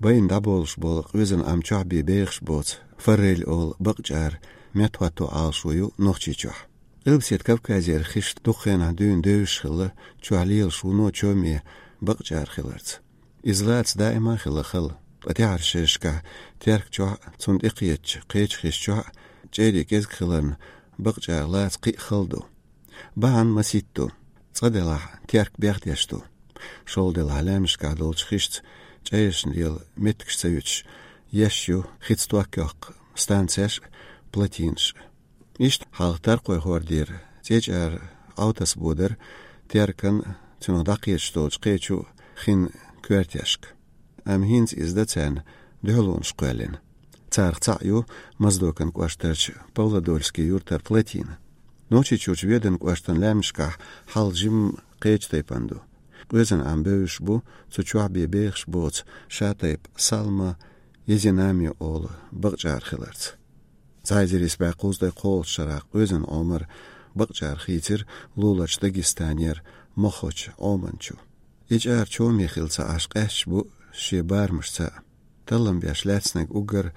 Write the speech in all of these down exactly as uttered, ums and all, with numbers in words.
Байна дӀаболуш болу къоьзан Ӏам чохь бен бехаш боцу форель олу бакъачӀара меттахӀотто Ӏалашо ю Нохчийчохь. Къилбаседа Кавказера хиш дукха хенахь дуьйна девзаш хилла, чохь лелаш вуно чоме бакъачӀара хиларца. Иза лаца даима а хилла хала, ткъа тӀаьхьарчу шерашкахь Теркачохь а, цунна тӀекхетачу кхечу хиш чохь а чӀерий кӀезиг хиларна, бакъачӀара лаца кхин а хала ду. Бахьана масийтта ду. Цкъа делахь, Терк бехдеш ду. ШолгӀа делахь, лаьмнашкахь долчу хишца чӀерашна лела меттигаш ца юьтуш, еш ю хица ток йоккху станцеш а, плотинаш а. Иштта хьалха Таркхойн хӀордера цӀечӀара Ӏовтасбо дара Теркан а, цунах дӀакхеташ долчу кхечу хин коьртешка. Амма хӀинца иза дан царна дуьхьалонаш кхоьллина. Царах цхьаъ ю Моздокан кӀоштарчу Павлодольский юьртара плотина. Нохчийчуьрчу Веданан кӀоштан лаьмнашкахь хьал жимма кхечу тайпана ду. Къоьзан Ӏам бевзаш бу цу чохь бен бехаш боцу шатайпа Салма Езинами олу бакъачӀара хиларца. Цхьа эзар исс бӀе кхузткъе кхоалгӀачу шарахь къоьзан Ӏомар бакъачӀара хийцира луларчу Дагестанера Мохочу Ӏоман чу. И чӀара чоме хилла ца Ӏаш къаьсташ бу шен барамашца а. Таллам беш лаьцнарг уггар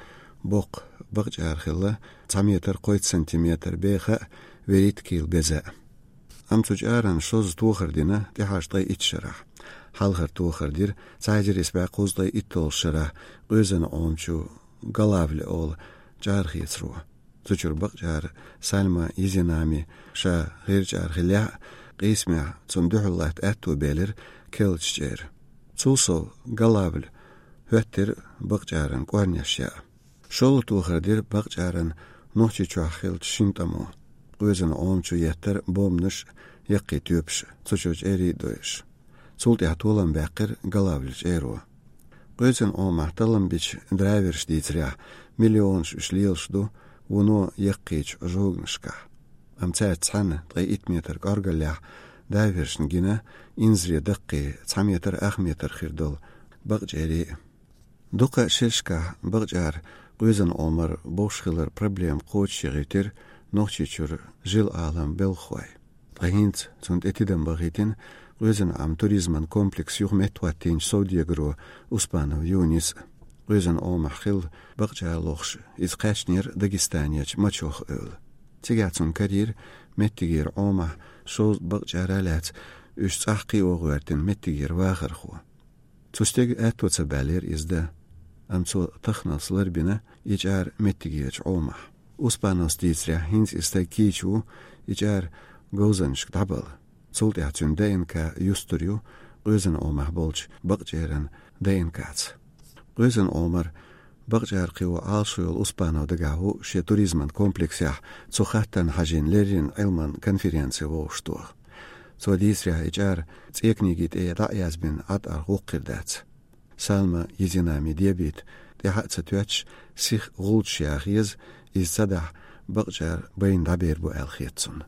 боккха бакъачӀара хилла, цхьа метр кхойтта сантиметр беха а, вуьрхӀитта кийла беза а. Амма цу чӀаран шозза тохар дина тӀаьхьарчу ткъе итт шарахь. Хьалхара тохар дира цхьа эзар исс бӀе кхузткъе итталгӀачу шарахь къоьзан Ӏома чу Галавль олу чӀарахецаро. Цу чуьра бакъачӀара Салма Езинами ша гӀирчӀара хиллехь а, къийсамехь цунна дуьхьал латта аьтто белира керлачу чӀеран. Цул сов Галавль хӀоьттира бакъачӀаран кӀорнеш яа. ШолгӀа тохар дира бакъачӀаран Нохчийчохь хиллачу шина тӀамо. Къоьзан Ӏома чу еттара бомбанаш а, яккхий тоьпаш а, цу чуьра чӀерий а дойуш. Цул тӀаьхьа толам баьккхира Галавль чӀеро. Къоьзан Ӏомахь таллам бича дайверша дийцарехь, миллионаш уьш лелаш ду вуно яккхийчу жоганашкахь. Амма цаьрца цхьаьна ткъе итт метр кӀоргаллехь дайвершна гина инзаре даккхий цхьа метр ах метр хир долу бакъачӀерий а. Дукха шерашкахь бакъачӀара къоьзан Ӏомар бовш хилар проблема кхочушъяхийтира Нохчийчуьра жил-Ӏалам белхахой. Ткъа хӀинца цунна тӀе тидам бахийтина къоьзан Ӏам туризман комплекс юха меттахӀоттийначу совдегаро Успанов Юниса. Къоьзан Ӏомахь хилла бакъачӀара лохуш, иза кхаьчнера Дагестанерчу Мачох эвла. Цигахь цунна карийра меттигера Ӏомахь шовзткъа бакъачӀара лаьцна уьш цӀахь кхио гӀоьртина меттигера вахархо. Цу стеган аьтто ца баьллера иза дан, амма цо таханалц ларбина и чӀара меттигерчу Ӏомахь. Успановс дийцарехь, хӀинца и стаг кийча ву и чӀара говзанчашка дӀабала. Цул тӀаьхьа цуьнан ДНК юстур ю къоьзан Ӏомахь болчу бакъачӀеран ДНК-ца. Къоьзан Ӏомар бакъачӀара кхио Ӏалашо йолу Успанов дагахь ву шен туризман комплексехь цу хаттарна хьажийна леррина Ӏилман конференци вовшахтоха. Цо дийцарехь, и чӀара цӀе книги тӀе дӀа а язбина, Ӏад арахь гӀуллакх хир дац. Салма Езинами дебийта тӀаьхьа а ца тоьттуш, сиха гӀулчаш яха еза, иза ца дахь, бакъачӀара байна дӀабер бу аьлла хета цунна.